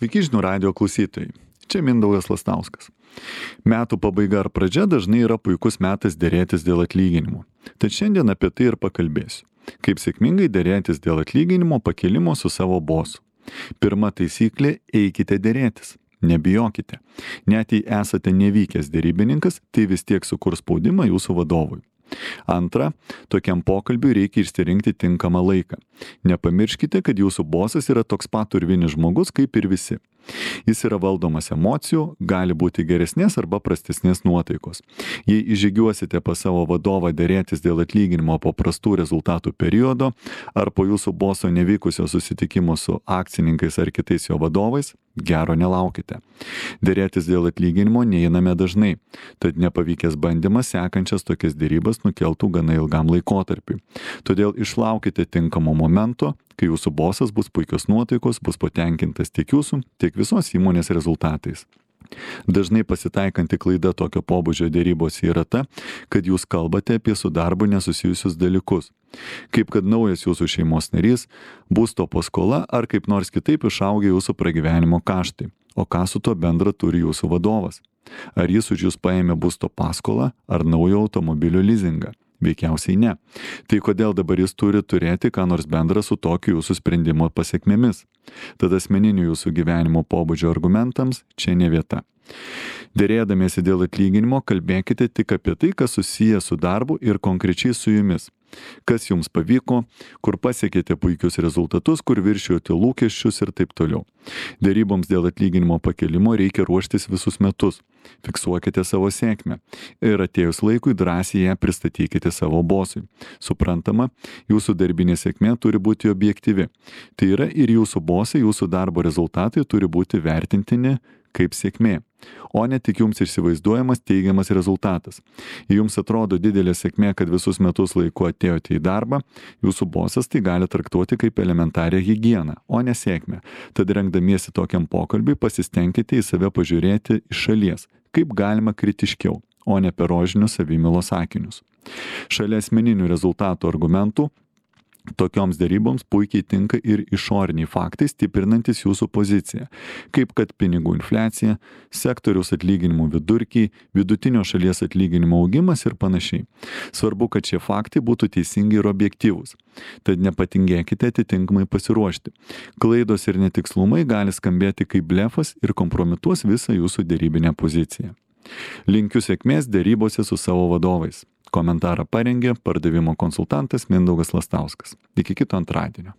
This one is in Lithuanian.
Sveiki žinių radio klausytojai. Čia Mindaugas Lastauskas. Metų pabaiga ar pradžia dažnai yra puikus metas derėtis dėl atlyginimų. Tad šiandien apie tai ir pakalbėsiu. Kaip sėkmingai derėtis dėl atlyginimo pakėlimo su savo bosu. Pirma taisyklė – eikite derėtis. Nebijokite. Net jei esate nevykęs derybininkas, tai vis tiek sukurs spaudimą jūsų vadovui. Antra, tokiam pokalbiui reikia išsirinkti tinkamą laiką. Nepamirškite, kad jūsų bosas yra toks pat urvinis žmogus kaip ir visi. Jis yra valdomas emocijų, gali būti geresnės arba prastesnės nuotaikos. Jei įžygiuosite pas savo vadovą derėtis dėl atlyginimo po prastų rezultatų periodo ar po jūsų boso nevykusio susitikimo su akcininkais ar kitais jo vadovais, gero nelaukite. Derėtis dėl atlyginimo neeiname dažnai, tad nepavykęs bandymas sekančias tokias derybas nukeltų gana ilgam laikotarpiui. Todėl išlaukite tinkamo momento, kai jūsų bosas bus puikios nuotaikos, bus patenkintas tiek jūsų, tiek visos įmonės rezultatais. Dažnai pasitaikanti klaida tokio pobūdžio derybos yra ta, kad jūs kalbate apie su darbu nesusijusius dalykus. Kaip kad naujas jūsų šeimos narys, būsto paskola ar kaip nors kitaip išaugia jūsų pragyvenimo kaštai. O ką su to bendra turi jūsų vadovas? Ar jis už jūs paėmė būsto paskolą ar naujo automobilio lizingą? Veikiausiai ne. Tai kodėl dabar jis turi turėti ką nors bendra su tokiu jūsų sprendimo pasekmėmis? Tad asmeninių jūsų gyvenimo pobūdžio argumentams čia ne vieta. Derėdamiesi dėl atlyginimo, kalbėkite tik apie tai, kas susiję su darbu ir konkrečiai su jumis. Kas jums pavyko, kur pasiekėte puikius rezultatus, kur viršijote lūkesčius ir taip toliau. Deryboms dėl atlyginimo pakėlimo reikia ruoštis visus metus. Fiksuokite savo sėkmę ir atėjus laikui drąsiai ją pristatykite savo bosui. Suprantama, jūsų darbinė sėkmė turi būti objektyvi. Tai yra ir jūsų bosai, jūsų darbo rezultatai turi būti vertintini kaip sėkmė, o ne tik jums įsivaizduojamas teigiamas rezultatas. Jei jums atrodo didelė sėkmė, kad visus metus laiku atėjote į darbą, jūsų bosas tai gali traktuoti kaip elementarią higieną, o ne sėkmę. Tad rengdamiesi tokiam pokalbiui pasistengkite į save pažiūrėti iš šalies, kaip galima kritiškiau, o ne per rožinius savimylos sakinius. Šalia asmeninių rezultatų argumentų, tokioms deryboms puikiai tinka ir išoriniai faktai stiprinantis jūsų poziciją, kaip kad pinigų infliacija, sektoriaus atlyginimų vidurkiai, vidutinio šalies atlyginimo augimas ir panašiai. Svarbu, kad šie faktai būtų teisingi ir objektyvūs. Tad nepatingėkite atitinkamai pasiruošti. Klaidos ir netikslumai gali skambėti kaip blefas ir kompromituos visą jūsų derybinę poziciją. Linkiu sėkmės derybose su savo vadovais. Komentarą parengė pardavimo konsultantas Mindaugas Lastauskas. Iki kito antradienio.